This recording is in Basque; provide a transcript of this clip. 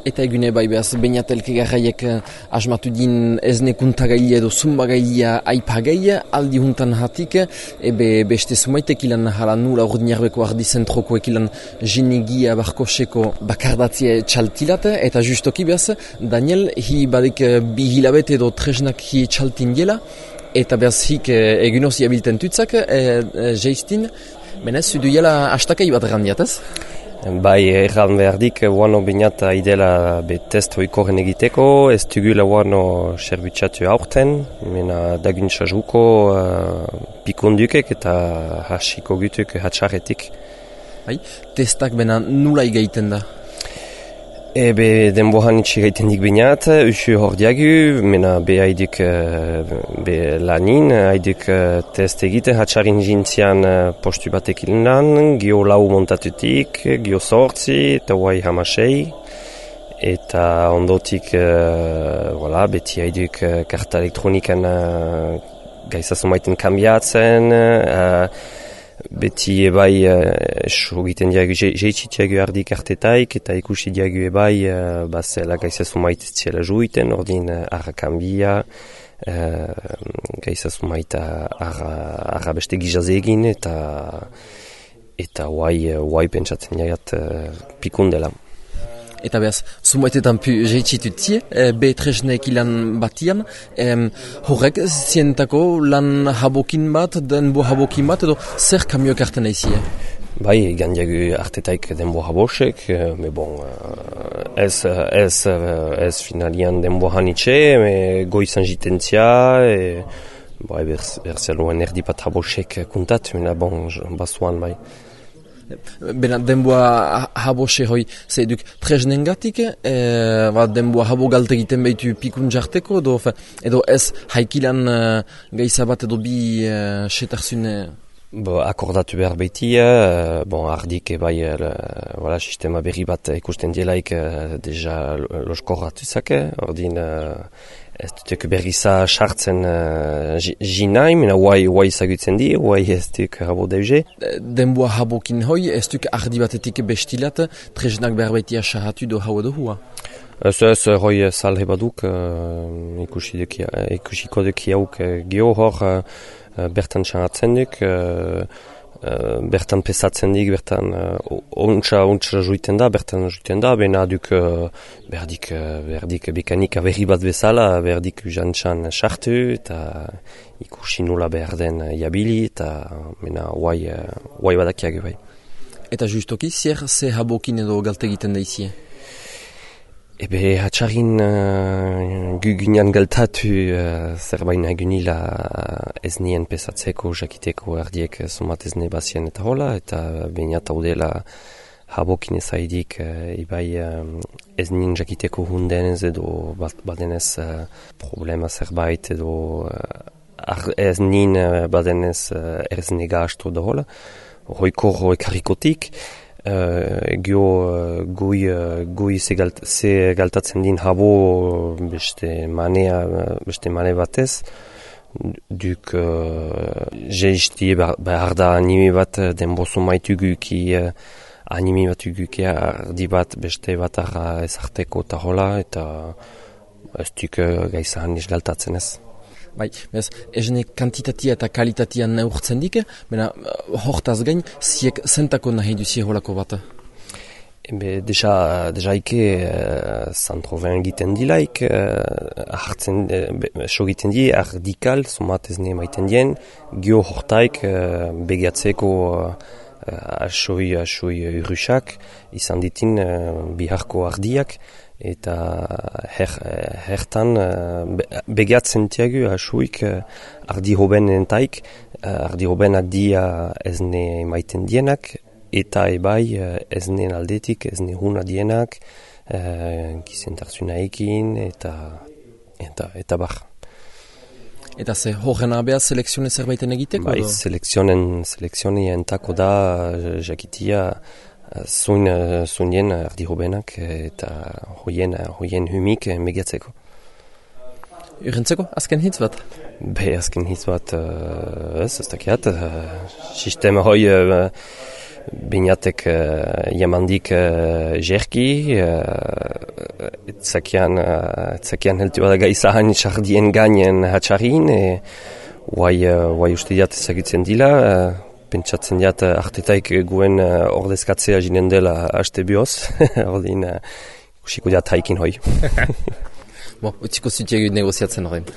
Eta egune bai behaz, bainatelke garraiek asmatu din ezne kuntagaile edo zumbagailea aipagaile, aldi huntan hatik, beste zumaitek ilan hala nula ordinarbeko ardi zentrokoek ilan jinegia barkoseko bakardatzea txaltilat, eta justoki behaz, Daniel, hi badik bi hilabete edo tresnak hi txaltin dela, eta behaz hik egunoz iabilten tutzak, jeistin, benez, zudu jela astakai bat randiat, ez? Bai, erran behardik, guano binata idela test hoikoren egiteko, ez dugula guano serbitzatu aurten, mena daguntza juko pikundukek eta hasiko gutuk hatxarretik. Bai, testak bena nula igaiten da? Denbohan itxi gaiten dik binat, usu hor diagu, mena haiduk lanin, haiduk test egite, hatxarin jintzian postu batek ilan, gio lau montatutik, gio sortzi, eta guai hamasei, eta ondotik, beti haiduk karta elektronikan gaizazumaiten kambiatzen, beti ebai egiten diagu jeitsitiagu ardi kartetaik eta ikusi diagu ebai bazela gaizazumait ziela juiten, ordin arra kambia, gaizazumait arra beste gizaz egin eta guai pentsatzen diagat pikundela. Eta behaz, zumaitetan jeitsitutzie, B3-nek ilan batian, horrek zientako lan habokin bat, denbo habokin bat, edo zer kamioak arten aizie? Bai, gandiagu artetaik denbo habosek, ez finalian denbo hanitxe, goizan jitentzia, berzeluen erdi bat habosek kuntat, basuan bai. Bena denboa habose hoi, ze eduk tresnengatik, denboa habo galte egiten behitu pikun jarteko, edo ez haikilan gaizabat edo bi setarzune? Akordatu behar behitia, ardik bai sistema berri bat ikusten dielaik deja loskorratuzake, ordin ez dutek berriza sartzen jinai, mena guai zagutzen di, guai ez duk habo deuze. Denboa habokin hoi, ez duk ardi batetik bestilat, tresnak behar behitia sahatu do hau edo hua? Ez hoi salhe baduk, ikusiko duk jauk geho hor, bertan sahatzen duk, bertan pesatzen dik, bertan ontsa juiten da, bena duk berdik bekanika berri bat bezala, berdik jantxan sartu, eta ikusi nula behar den jabili, eta mena guai badakiak bai. Eta justoki, zer ze habokin edo galte egiten da izie? Hatxarin gugunean galtatu zerbain agunila ez nien pesatzeko, jakiteko erdiek sumat ez nebazien eta hola, eta bainat haudela habokin ezaidik ez nien jakiteko hundenez edo badenez problema zerbait edo ez nien badenez ez negastu da hola, hoiko ekarrikotik, gui ze galtatzen din habo beste mane batez, duk jeizti behar da anime bat denbozu maituguki anime bat uguki ardi bat beste bat arra ezarteko eta hola, eta ez duk gaizahan niz galtatzen ez. Bai, ezne kantitatia eta kalitatia neurtzen dik, bena hortaz gain, ziek zentako nahi duzie holako bat? Deja ike zantroven egiten dilaik, sogiten di, ardikal, somat ezne maiten dien, gio hortaik begiatzeko asoi urrusak, izan ditin biharko ardiak, eta hertan begiatzen tiagu asuik ardi hoben entaik, ardi hobenak dia ezne maiten dienak, eta ebai ezne aldetik, ezne huna dienak, gizentarzunaekin, eta bar. Eta ze horren abea selekzione zerbaiten egiteko? Bai, selekzionien tako da jakitia zuinen ardi hobenak eta hoien humik megiatzeko. Urrentzeko, azken hitz bat? Azken hitz bat, ez dakiat. Sistema hoi binatek jamandik jerki, Etzakian heltu bada gaizahan txardien gainen hatxarin, guai uste diat ezagutzen dila, pentsatzen diat artetaik guen ordezkatzea jinen dela haste bioz, ordin usiko diat haikin hoi. Utziko zutiak negoziatzen horrein.